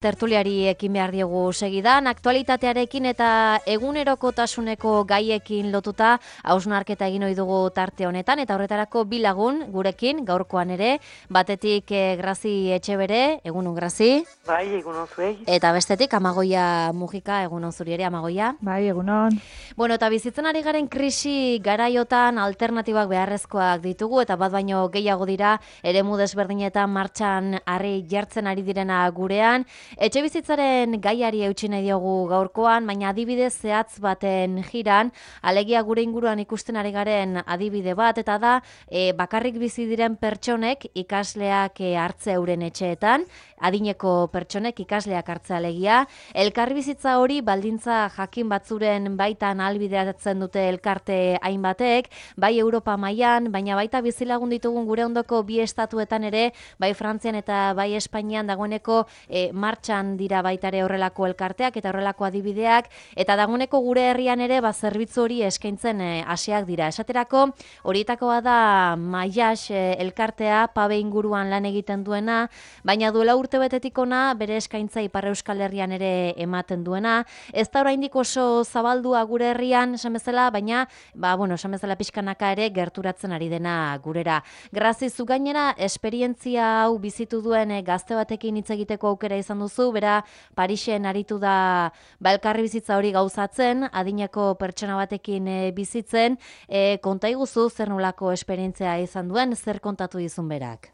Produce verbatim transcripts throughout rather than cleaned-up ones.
Tertuliari ekin behar diogu segidan, aktualitatearekin eta egunerokotasuneko gaiekin lotuta hausnarketa egin ohi dugu tarte honetan, eta horretarako bi lagun gurekin gaurkoan ere, batetik eh, Grazi Etxebere, egunon Grazi. Bai, egunon zuei. Eta bestetik Amagoia Mujika, egunon zuri ere Amagoia. Bai, egunon. Bueno, eta bizitzen ari garen krisi garaiotan alternatibak beharrezkoak ditugu, eta bat baino gehiago dira eremu desberdinetan martxan harri jartzen ari direna gurean. Etxebizitzaren gaiari eutsi nahi diogu gaurkoan, baina adibide zehatz baten jiran, alegia gure inguruan ikusten ari garen adibide bat, eta da e, bakarrik bizi diren pertsonek ikasleak e, hartze euren etxeetan, adineko pertsonek ikasleak hartze alegia. Elkarbizitza hori baldintza jakin batzuren baitan ahalbideratzen dute elkarte hainbatek, bai Europa mailan, baina baita bizilagun ditugun gure ondoko bi estatuetan ere, bai Frantzian eta bai Espainian dagoeneko e, martxan dira baitare horrelako elkarteak eta horrelako adibideak, eta dagoeneko gure herrian ere ba, zerbitzu hori eskaintzen e, hasiak dira. Esaterako, horietakoa da Maias e, elkartea, Pabe inguruan lan egiten duena, baina duela urte betetik ona bere eskaintza Ipar Euskal Herrian ere ematen duena. Ez da oraindik oso zabaldua gure herrian, esan bezala, baina ba, bueno, esan bezala pixkanaka ere gerturatzen ari dena gurera. Grazi, zu gainera, esperientzia hau bizitu duen e, gazte batekin hitz egiteko aukera izan duzu, bera Parisen aritu da ba, elkarri bizitza hori gauzatzen, adineko pertsona batekin e, bizitzen, e, konta iguzu zer nolako esperientzia izan duen, zer kontatu dizun berak?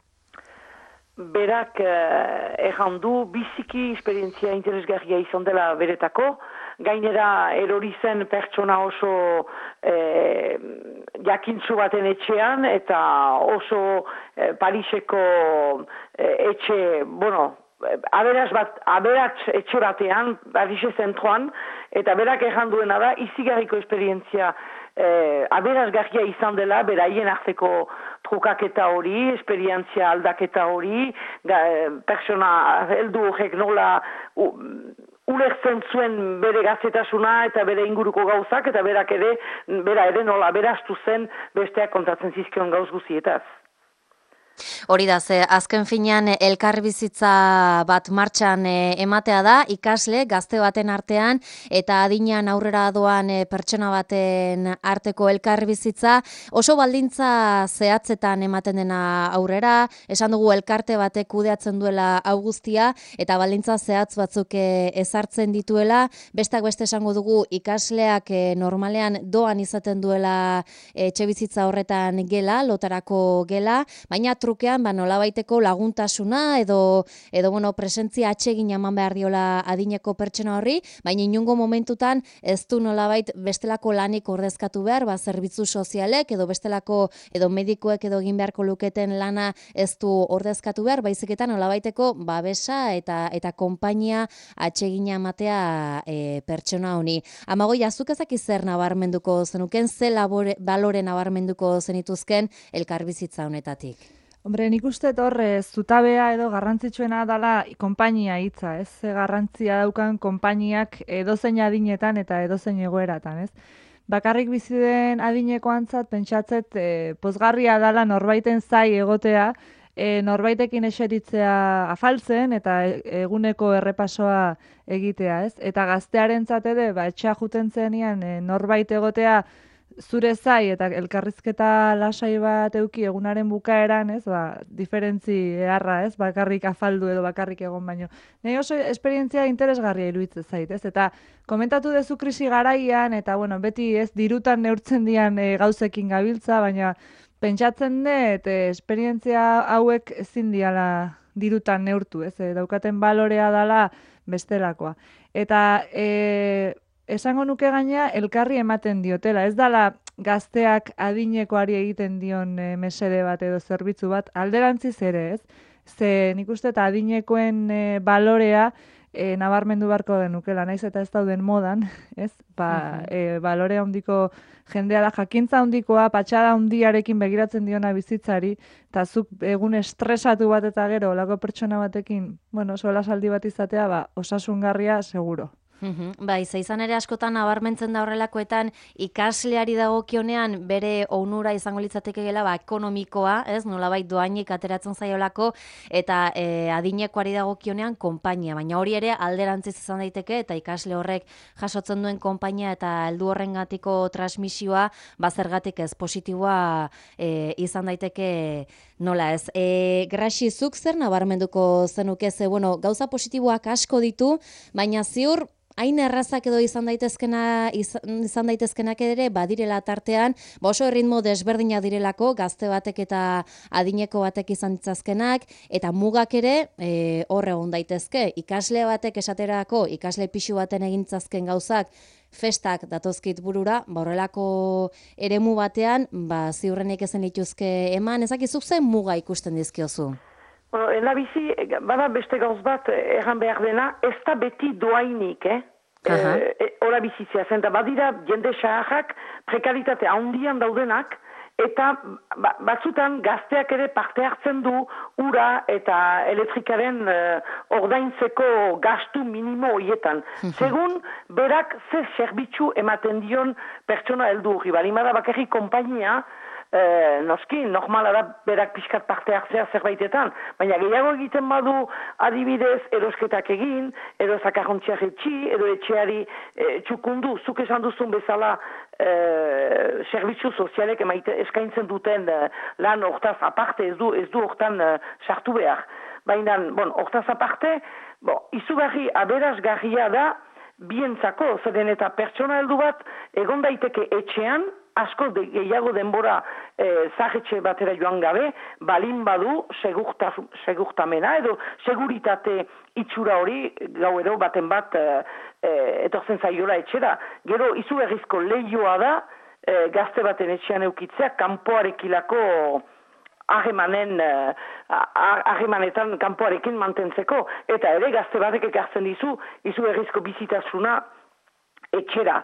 Berak eh, erran du biziki esperientzia interesgarria izan dela beretako, gainera erori zen pertsona oso eh, jakintzu baten etxean, eta oso eh, Pariseko eh, etxe, bueno, aberaz bat, aberatz etxe batean, Parise zentroan, eta berak erran duena da, izigarriko esperientzia eh, aberazgarria izan dela, beraien arteko trukaketa hori, esperientzia aldaketa hori, ga, persona heldu horrek nola u, ulertzen zuen bere gaztetasuna eta bere inguruko gauzak, eta berak ere, bera ere nola beraztu zen besteak kontatzen zizkion gauz guzietaz. Hori da, ze azken finean elkarbizitza bat martxan e, ematea da, ikasle gazte baten artean eta adinean aurrera doan e, pertsona baten arteko elkarbizitza oso baldintza zehatzetan ematen dena aurrera, esan dugu elkarte batek kudeatzen duela hau guztia eta baldintza zehatz batzuk e, ezartzen dituela, besteak beste esango dugu ikasleak e, normalean doan izaten duela e, etxebizitza horretan gela, lotarako gela, baina trukean ba nolabaiteko laguntasuna edo edo bueno, presentzia atsegin eman behar diola adineko pertsona horri, baina inungo momentutan ez du nolabait bestelako lanik ordezkatu behar, ba zerbitzu sozialek edo bestelako edo medikuek edo egin beharko luketen lana ez du ordezkatu behar, baizik eta nolabaiteko babesa eta eta konpainia atsegina ematea e, pertsona honi. Amagoia, zuk ezaki zer nabarmenduko zenuken, ze labore, balore nabarmenduko zenituzken elkarbizitza honetatik? Hombre, nik uste horre zutabea edo garrantzitsuena dela konpainia hitza, ez? Ze garrantzia daukan konpainiak edozein adinetan eta edozein egoeratan, ez? Bakarrik bizi den adinekoantzat pentsatzet e, pozgarria dela norbaiten zai egotea, e, norbaitekin eseritzea afaltzen eta eguneko errepasoa egitea, ez? Eta gaztearentzat ere, ba, etxea juten zenean e, norbait egotea zure zai eta elkarrizketa lasai bat euki egunaren bukaeran, ez, ba, diferentzi eharra, ez, bakarrik afaldu edo bakarrik egon baino. Nei oso esperientzia interesgarria iruditzen zait, ez, eta komentatu dezu krisi garaian, eta bueno, beti ez dirutan neurtzen dian e, gauzekin gabiltza, baina pentsatzen dut e, esperientzia hauek ezin diala dirutan neurtu, ez, e, daukaten balorea dala bestelakoa. Eta e, esango nuke gaina elkarri ematen diotela, ez dala gazteak adinekoari egiten dion e, mesede bat edo zerbitzu bat, alderantziz ere, ez? Ze nik uste eta adinekoen e, balorea e, nabarmendu beharko denukela, naiz eta ez dauden modan, ez? Ba, e, balore handiko jendea da, jakintza handikoa, patxada handiarekin begiratzen diona bizitzari, eta zuk egun estresatu bat eta gero, olako pertsona batekin, bueno, sola saldi bat izatea, ba, osasungarria seguro. Mhm. Bai, ze izan ere askotan nabarmentzen da horrelakoetan ikasleari dagokionean bere onura izango litzatekeela ba ekonomikoa, ez? Nolabait dohainik ateratzen zaiolako eta e, adinekoari dagokionean konpainia, baina hori ere alderantziz izan daiteke eta ikasle horrek jasotzen duen konpainia eta heldu horrengatiko transmisioa ba zergatik ez positiboa e, izan daiteke nola ez. E, Graxi, zuk zer nabarmenduko zenuke ze bueno, gauza positiboak asko ditu, baina ziur hain errazak edo izan daitezkena izan daitezkenak ere badirela tartean, ba oso erritmo desberdinak direlako, gazte batek eta adineko batek izan ditzazkenak, eta mugak ere e, hor egon daitezke. Ikasle batek esaterako, ikasle pixu baten egin ditzazken gauzak, festak datozkit burura, ba horrelako eremu batean, ba ziurrenik ezen lituzke eman, ezakizuk zen muga ikusten dizkiozu? Bueno, ena bizi, bada beste gauz bat erran behar dena, ez da beti doainik, eh? Aha. E, ora bizitzea zen, da badira jende saharrak prekaritate handian daudenak, eta ba, batzutan gazteak ere parte hartzen du ura eta elektrikaren uh, ordaintzeko gastu minimo horietan. Segun, berak ze zerbitzu ematen dion pertsona heldu hori, balimada bakarrik konpainia, Eh, noski, normala da berak pixkat parte hartzea zerbaitetan, baina gehiago egiten badu adibidez erosketak egin, edo zakarrontziak etxi, edo etxeari eh, txukundu, zuk esan duzun bezala eh, zerbitzu sozialek emaite eskaintzen duten eh, lan hortaz aparte, ez du, ez du hortan eh, sartu behar. Baina, bon, hortaz aparte, bon, izugarri aberasgarria da bientzako, zeren eta pertsona heldu bat egon daiteke etxean, asko de, gehiago denbora eh, zahetxe batera joan gabe, balin badu segurta, segurtamena edo seguritate itxura hori gauero baten bat eh, eh, etortzen zaiola etxera. Gero izugarrizko lehioa da eh, gazte baten etxean eukitzea kanpoarekilako harremanen harremanetan kanpoarekin mantentzeko. Eta ere gazte batek ekartzen dizu izugarrizko bizitasuna etxera.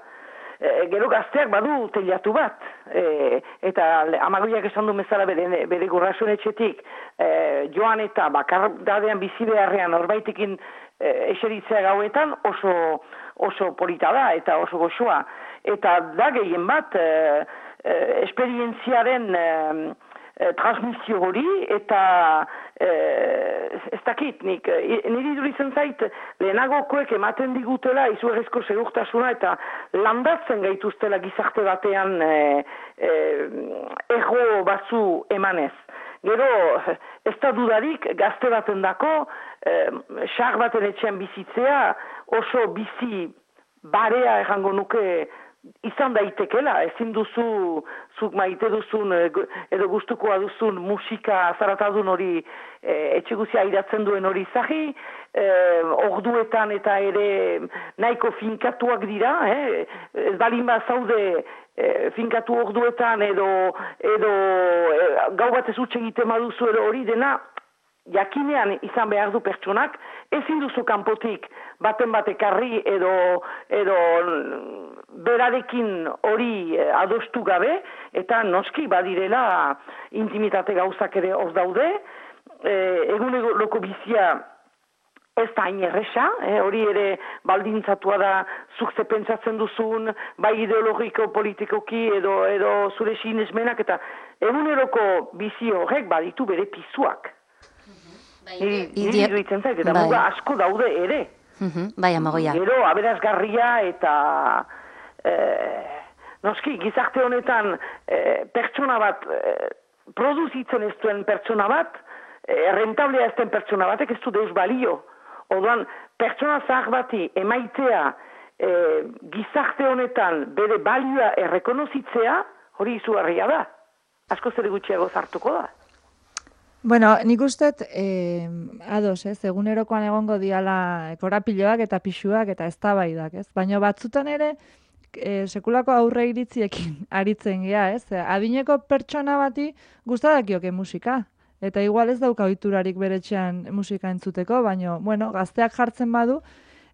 E, gero gazteak badu teilatu bat, e, eta amagoiak esan du bezala bere, bere gurrasun etxetik e, joan eta bakardadean bizi beharrean norbaitekin e, eseritzea gauetan oso, oso polita da eta oso goxoa. Eta da gehien bat e, e, esperientziaren e, e, transmisio hori eta e, ez dakit nik, e, niri duritzen zait lehenagokoek ematen digutela izugarrizko segurtasuna eta landatzen gaituztela gizarte batean e, e, ego batzu emanez. Gero, ez da dudarik gazte baten dako, e, xar baten etxean bizitzea oso bizi barea errango nuke izan daitekela, ezin duzu, zuk maite duzun, edo gustukoa duzun musika zaratadun hori e, etxeguzia iratzen duen hori zahi, e, orduetan eta ere nahiko finkatuak dira, eh? Ez balin bat zaude e, finkatu orduetan edo, edo e, gau bat ez utxe egiten baduzu edo hori dena, jakinean izan behar du pertsonak, ezin duzu kanpotik baten batekarri edo, edo berarekin hori adostu gabe, eta noski badirela intimitate gauzak ere hor daude, e, eguneroko bizia ez da hain erresa, eh, hori ere baldintzatua da zuk ze pentsatzen duzun, bai ideologiko, politikoki edo, edo zure sinesmenak, eta eguneroko bizi horrek baditu bere pizuak. Niri duitzen zait, eta muga asko daude ere. Bai, amagoia. Gero, aberasgarria eta eh, noski, gizarte honetan eh, pertsona bat, eh, produzitzen ez duen pertsona bat, eh, rentablea ez den pertsona batek ez du deus balio. Orduan, pertsona zahar bati emaitea eh, gizarte honetan bere balioa errekonozitzea, hori izugarria da. Asko zer gutxiago zartuko da. Bueno, nik usteet, eh, ados, ez, egunerokoan egongo diala korapiloak eta pixuak eta eztabaidak, ez? Baina batzutan ere, eh, sekulako aurre iritziekin aritzen gea, ez? Adineko pertsona bati gustadakioke musika, eta igual ez dauka ohiturarik beretxean musika entzuteko, baina, bueno, gazteak jartzen badu,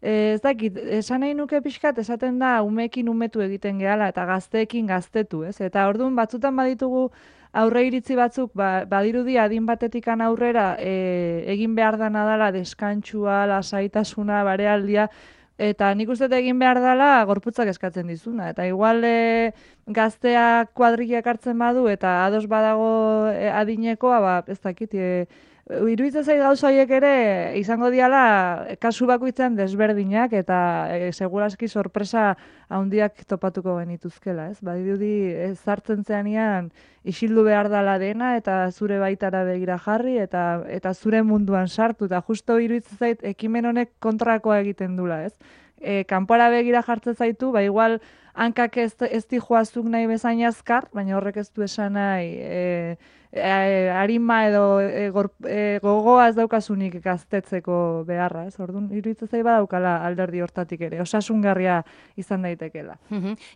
eh, ez dakit, esan nahi nuke pixkat, esaten da umeekin umetu egiten gehala, eta gazteekin gaztetu, ez? Eta orduan batzutan baditugu aurre iritzi batzuk, ba, badirudi adin batetikan aurrera e, egin behar dana dela deskantsua, lasaitasuna, barealdia, Eta nik uste dut egin behar dela gorputzak eskatzen dizuna. Eta igual e, gazteak kuadrillak hartzen badu eta ados badago e, adinekoa, ba, ez dakit, e, iruditzen zait gauza horiek ere izango diala kasu bakoitzean desberdinak eta e, seguraski sorpresa handiak topatuko genituzkela, ez? Badirudi ez sartzen zeanean isildu behar dela dena eta zure baitara begira jarri eta eta zure munduan sartu eta justo iruditzen zait ekimen honek kontrakoa egiten dula, ez? E, kanpora begira jartzen zaitu, ba igual hankak ez, ez dijoazuk nahi bezain azkar, baina horrek ez du esan nahi e, e, arima edo e, gor, e, gogoa ez daukasunik gaztetzeko beharra, ez? Orduan, iruditzen zait badaukala alderdi hortatik ere, osasungarria izan daitekela.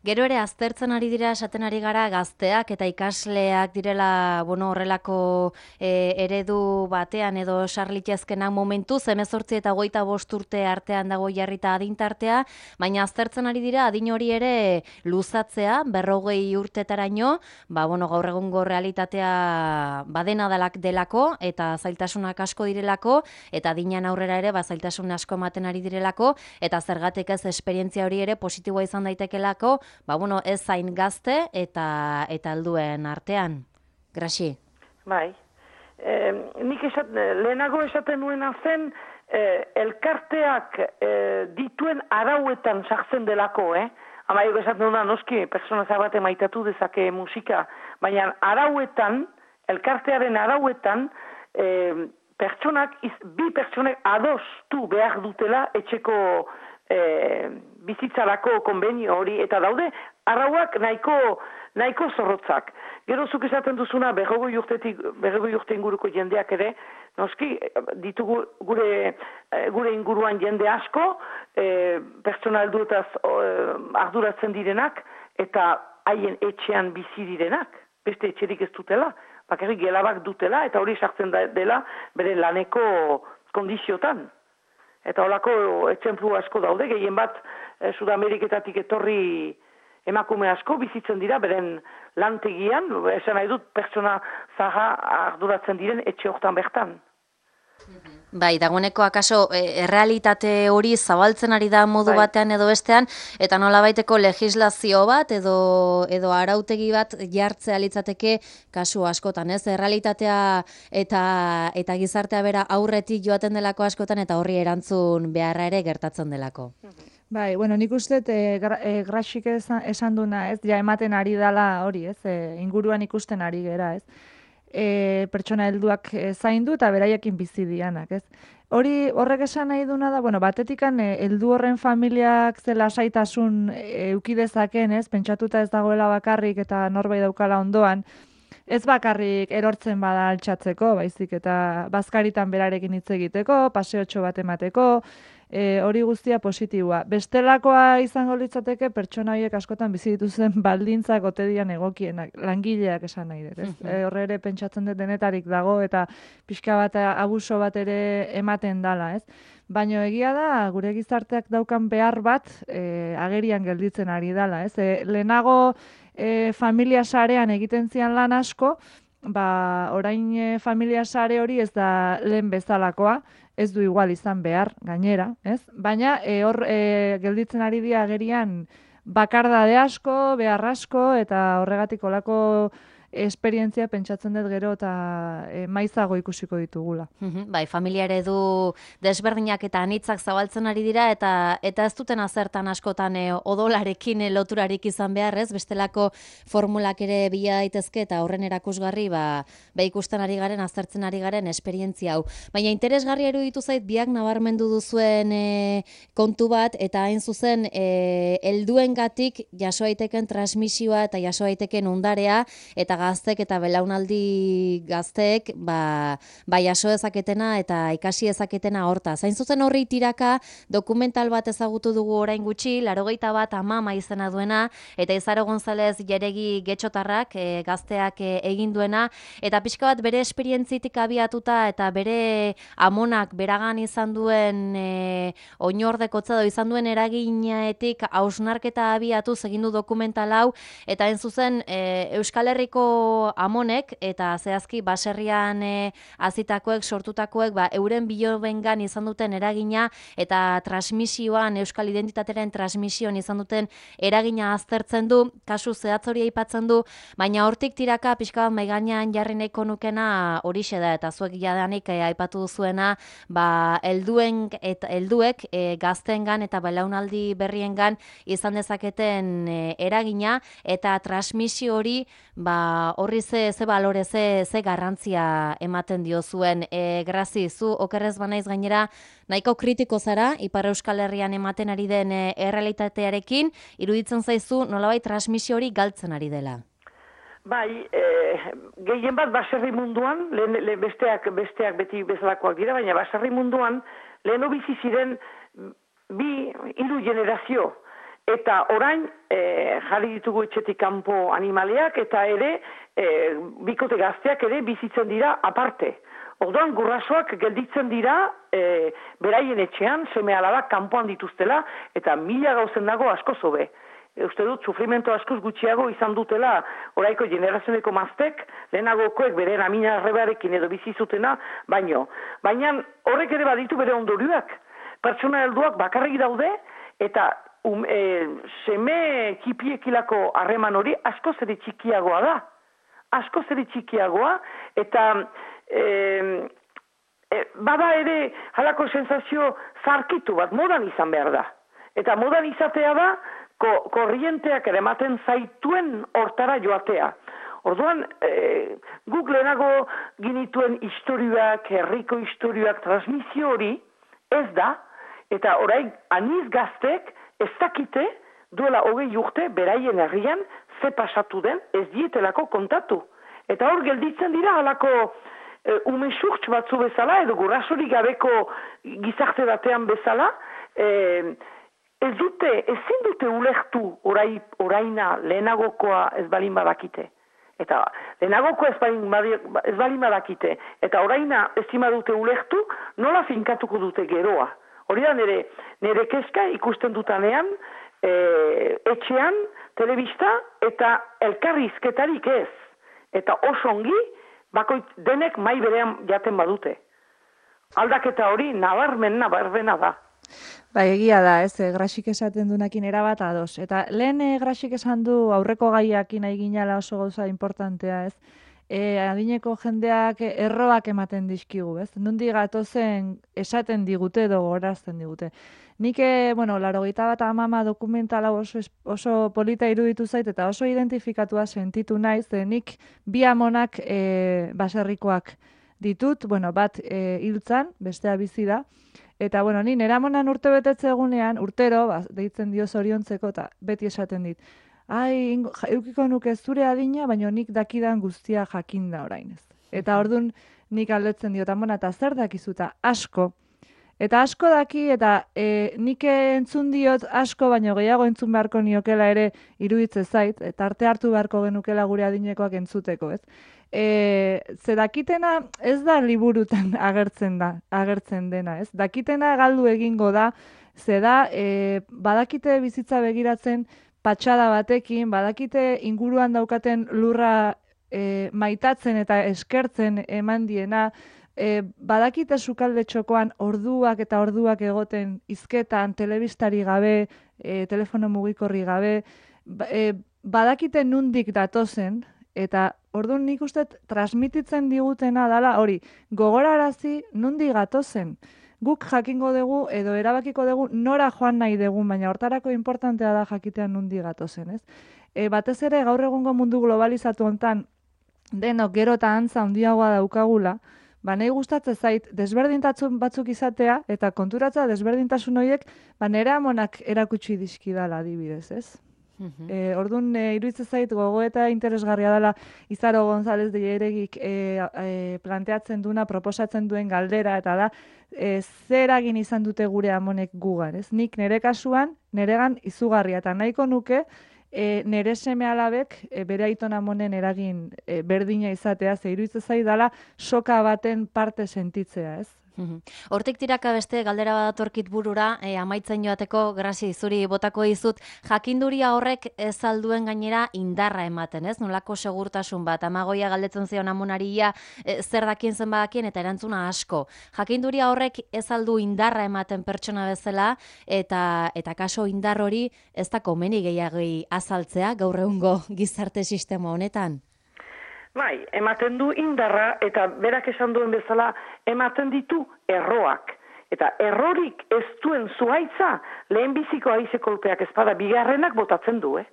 Gero ere aztertzen ari dira, esaten ari gara gazteak eta ikasleak direla, bueno, horrelako e, eredu batean edo sarlitezkenak momentu, hemezortzi eta hogeita bost urte artean dago jarrita adintartea, baina aztertzen ari dira adin hori ere luzatzea, berrogei urtetaraino, ba, bueno, gaur egungo realitatea badena dalak delako eta zailtasunak asko direlako eta adinean aurrera ere ba, zailtasun asko ematen ari direlako eta zergatik ez esperientzia hori ere positiboa izan daitekelako, ba, bueno, ez zain gazte eta eta helduen artean. Graxi. Bai. Eh, nik esat, lehenago esaten nuena zen eh, elkarteak eh, dituen arauetan sartzen delako, eh? Amaiko esaten duna, noski, persona zabate maitatu dezake musika, baina arauetan, elkartearen arauetan, e, pertsonak, iz, bi pertsonek adostu behar dutela etxeko e, bizitzarako konbenio hori, eta daude, arauak nahiko, nahiko zorrotzak. Gero zuk esaten duzuna, berrogoi urtetik, berrogoi urte inguruko jendeak ere, noski, ditugu gure, gure inguruan jende asko, e, pertsona helduetaz arduratzen direnak, eta haien etxean bizi direnak, beste etxerik ez dutela, bakarrik gelabak dutela, eta hori sartzen dela bere laneko kondiziotan. Eta holako etxemplu asko daude, gehien bat eh, Sudameriketatik etorri emakume asko bizitzen dira, beren lantegian, esan nahi dut pertsona zaha arduratzen diren etxe hortan bertan. Bai, dagoeneko akaso errealitate hori zabaltzen ari da modu bai. Batean edo bestean, eta nolabaiteko legislazio bat edo edo arautegi bat jartzea litzateke kasu askotan, ez? Errealitatea eta eta gizartea bera aurretik joaten delako askotan eta horri erantzun beharra ere gertatzen delako. Bai, bueno, nik uste e, gra, e, Graxik esan, esan duna, ez? Ja ematen ari dala hori, ez? E, inguruan ikusten ari gera, ez? E, pertsona helduak e, zaindu eta beraiekin bizi dianak, ez? Hori horrek esan nahi duna da, bueno, batetikan e, heldu horren familiak ze lasaitasun eduki dezaken, ez? Pentsatuta ez dagoela bakarrik eta norbait daukala ondoan, ez bakarrik erortzen bada altxatzeko, baizik eta bazkaritan berarekin hitz egiteko, paseotxo bat emateko, E, hori guztia positiboa. Bestelakoa izango litzateke pertsona horiek askotan bizi dituzen baldintzak ote dian egokienak, langileak esan nahi dut, ez? E, horre ere pentsatzen dut denetarik dago eta pixka bat abuso bat ere ematen dala, ez? Baina egia da, gure gizarteak daukan behar bat e, agerian gelditzen ari dala, ez? E, lehenago e, familia sarean egiten zian lan asko, ba, orain e, familia sare hori ez da lehen bezalakoa, ez du igual izan behar, gainera, ez? Baina e, hor e, gelditzen ari dira agerian bakardade asko, behar asko, eta horregatik olako esperientzia pentsatzen dut gero eta e, maizago ikusiko ditugula. Uhum, bai, familia eredu desberdinak eta anitzak zabaltzen ari dira eta eta ez duten azertan askotan e, odolarekin e, loturarik izan behar, ez? Bestelako formulak ere bila daitezke eta horren erakusgarri ba, ba ikusten ari garen, aztertzen ari garen esperientzia hau. Baina interesgarria iruditu zait biak nabarmendu duzuen e, kontu bat eta hain zuzen e, helduengatik jaso daiteken transmisioa eta jaso daiteken ondarea eta gaztek eta belaunaldi gazteek ba, ba jaso dezaketena eta ikasi dezaketena horta. Zain zuzen horri tiraka dokumental bat ezagutu dugu orain gutxi, laurogeita bat Amama izena duena, eta Izaro González Jeregi Getxotarrak e, gazteak e, egin duena, eta pixka bat bere esperientzitik abiatuta eta bere amonak beragan izan duen e, oinordekotza edo izan duen eraginetik hausnarketa abiatuz egin du dokumental hau, eta hain zuzen e, Euskal Herriko Aurreko amonek eta zehazki baserrian e, azitakoek, sortutakoek, ba, euren bilobengan izan duten eragina eta transmisioan, euskal identitateren transmisioan izan duten eragina aztertzen du, kasu zehatz hori aipatzen du, baina hortik tiraka pixka bat maiganean jarri nahiko nukena horixe da, eta zuek jadanik e, aipatu duzuena, ba, helduen eta helduek e, gaztengan eta belaunaldi berriengan izan dezaketen e, eragina eta transmisio hori ba, horri ze, ze balore, ze, ze garrantzia ematen dio zuen. E, Grazi, zu okerrez banaiz gainera nahiko kritiko zara, Ipar Euskal Herrian ematen ari den e, errealitatearekin, iruditzen zaizu nolabait transmisio hori galtzen ari dela. Bai, e, gehien bat baserri munduan, lehen, lehen besteak, besteak beti bezalakoak dira, baina baserri munduan lehen bizi ziren bi, hiru generazio. Eta orain e, jarri ditugu etxetik kanpo animaleak eta ere e, bikote gazteak ere bizitzen dira aparte. Orduan gurasoak gelditzen dira e, beraien etxean, seme alabak kanpoan dituztela eta mila gauzen dago asko zobe. E, uste dut, sufrimento askoz gutxiago izan dutela oraiko generazioneko maztek, lehenagokoek bere amina arrebarekin edo bizi zutena, baino. Baina horrek ere baditu bere ondorioak. Pertsona helduak bakarrik daude eta Um, e, seme kipiekilako harreman hori asko zere txikiagoa da. Asko zere txikiagoa eta e, e, bada ere halako sensazio zarkitu bat modan izan behar da. Eta modan izatea da ko, korrienteak ere ematen zaituen hortara joatea. Orduan, e, guk lehenago ginituen historioak, herriko historioak, transmisio hori ez da, eta orain aniz gaztek ez dakite duela hogei urte beraien herrian ze pasatu den ez dietelako kontatu. Eta hor gelditzen dira halako e, ume surtz batzu bezala edo gurasorik gabeko gizarte batean bezala e, ez dute, ezin dute ulertu orai, oraina lehenagokoa ez balin badakite. Eta lehenagokoa ez balin, ez balin badakite. Eta oraina ezin badute ulertu nola finkatuko dute geroa. Hori da nire, nire kezka ikusten dutanean, e, etxean, telebista eta elkarrizketarik ez. Eta oso ongi, bakoit denek mai berean jaten badute. Aldaketa hori nabarmen nabarmena da. Ba, egia da, ez, e, Graxik esaten dunakin erabat ados. Eta lehen e, Graxik esan du aurreko gaiakin aiginala oso gauza importantea, ez? E, adineko jendeak erroak ematen dizkigu, ez? Nundi gatozen esaten digute edo gorazten digute. Nik, e, bueno, laurogeita bat amama dokumentala oso, oso polita iruditu zait eta oso identifikatua sentitu naiz, ze nik bi amonak e, baserrikoak ditut, bueno, bat e, hiltzan, bestea bizi da, eta, bueno, ni nera amonan urte betetze egunean, urtero, ba, deitzen dio zoriontzeko, eta beti esaten dit, ai, eukiko nuke zure adina, baina nik dakidan guztia jakinda orain ez. Eta orduan nik aldetzen diot, amona, eta zer dakizuta asko. Eta asko daki, eta e, nik entzun diot asko, baina gehiago entzun beharko niokela ere iruditze zait, eta arte hartu beharko genukela gure adinekoak entzuteko, ez? E, ze dakitena ez da liburutan agertzen da, agertzen dena, ez? Dakitena galdu egingo da, ze da, e, badakite bizitza begiratzen, patxada batekin, badakite inguruan daukaten lurra e, maitatzen eta eskertzen eman diena, e, badakite sukalde txokoan orduak eta orduak egoten hizketan, telebistari gabe, e, telefono mugikorri gabe, e, badakite nundik datozen, eta orduan nik uste transmititzen digutena dala hori, gogorarazi nundik gatozen. Guk jakingo dugu edo erabakiko dugu nora joan nahi dugu, baina hortarako importantea da jakitean nundi gatozen, ez? E, batez ere gaur egungo mundu globalizatu hontan denok gero eta antza handiagoa daukagula, ba nahi gustatzen zait desberdintasun batzuk izatea eta konturatza desberdintasun horiek ba nere amonak erakutsi dizkidala adibidez, ez? Uh-huh. E, orduan, e, iruditzen zait gogoeta interesgarria dela Izaro González de Lleregik e, e, planteatzen duna, proposatzen duen galdera, eta da, e, zer eragin izan dute gure amonek gugan, ez? Nik nire kasuan, niregan izugarria, eta nahiko nuke, e, nire seme alabek e, bere aiton amonen eragin e, berdina izatea, ze iruditzen zait dela soka baten parte sentitzea, ez? Hortik tiraka beste galdera bat datorkit burura, e, amaitzen joateko, Grasi, zuri botako dizut, jakinduria horrek ez alduen gainera indarra ematen, ez? Nolako segurtasun bat, Amagoia galdetzen zion amunaria e, zer dakien zen badakien eta erantzuna asko. Jakinduria horrek ez aldu indarra ematen pertsona bezala, eta eta kaso indar hori ez da komeni gehiagi azaltzea gaur egungo gizarte sistema honetan. Bai, ematen du indarra eta berak esan duen bezala ematen ditu erroak. Eta errorik ez duen zuhaitza lehenbiziko haize kolpeak ezpada bigarrenak botatzen du, eh?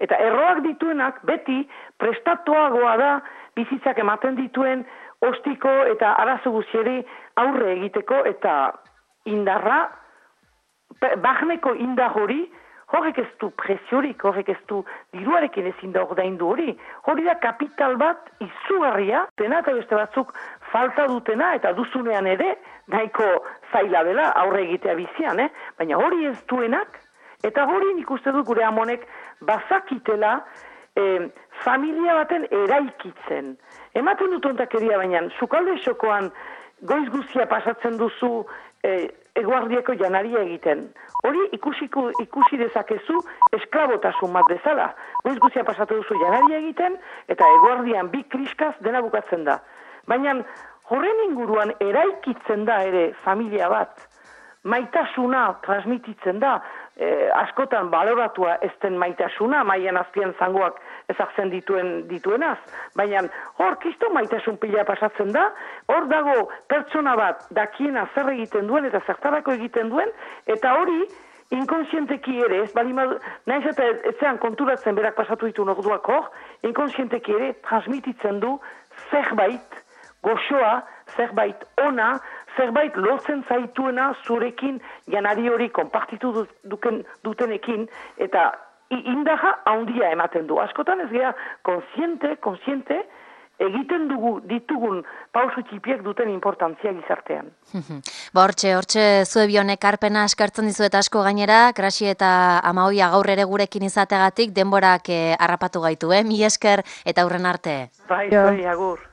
Eta erroak dituenak beti prestatuagoa da bizitzak ematen dituen ostiko eta arazo guztieri aurre egiteko eta indarra, barneko indar hori, horrek ez du presiorik, horrek ez du diruarekin ezin da ordaindu hori. Hori da kapital bat izugarria, dena eta beste batzuk falta dutena eta duzunean ere, nahiko zaila dela aurre egitea bizian, eh? Baina hori ez duenak, eta hori nik uste dut gure amonek bazakitela eh, familia baten eraikitzen. Ematen dut ontakeria baina, sukalde xokoan goiz guztia pasatzen duzu eh, eguardieko janaria egiten. Hori ikusiko, ikusi dezakezu esklabotasun bat bezala. Goiz guztia pasatu duzu janaria egiten eta eguardian bi kriskaz dena bukatzen da. Baina horren inguruan eraikitzen da ere familia bat. Maitasuna transmititzen da, eh, askotan baloratua ez den maitasuna, maian azpian zangoak ezartzen dituen dituenaz, baina hor kisto maitasun pila pasatzen da, hor dago pertsona bat dakiena zer egiten duen eta zertarako egiten duen, eta hori inkonsienteki ere, ez bali madu, nahiz eta etzean konturatzen berak pasatu ditu orduak hor, inkonsienteki ere transmititzen du zerbait goxoa, zerbait ona, zerbait lotzen zaituena zurekin janari hori konpartitu duken, dutenekin, eta indaja handia ematen du. Askotan ez gea konsiente, konsiente, egiten dugu ditugun pausu txipiek duten importantzia gizartean. Ba, hortxe, hortxe zue bionek arpena eskartzen dizuet asko gainera, Grasi eta Amagoia gaur ere gurekin izategatik denborak eh, harrapatu gaitu, eh? Mi esker eta aurren arte. Bai, bai, agur.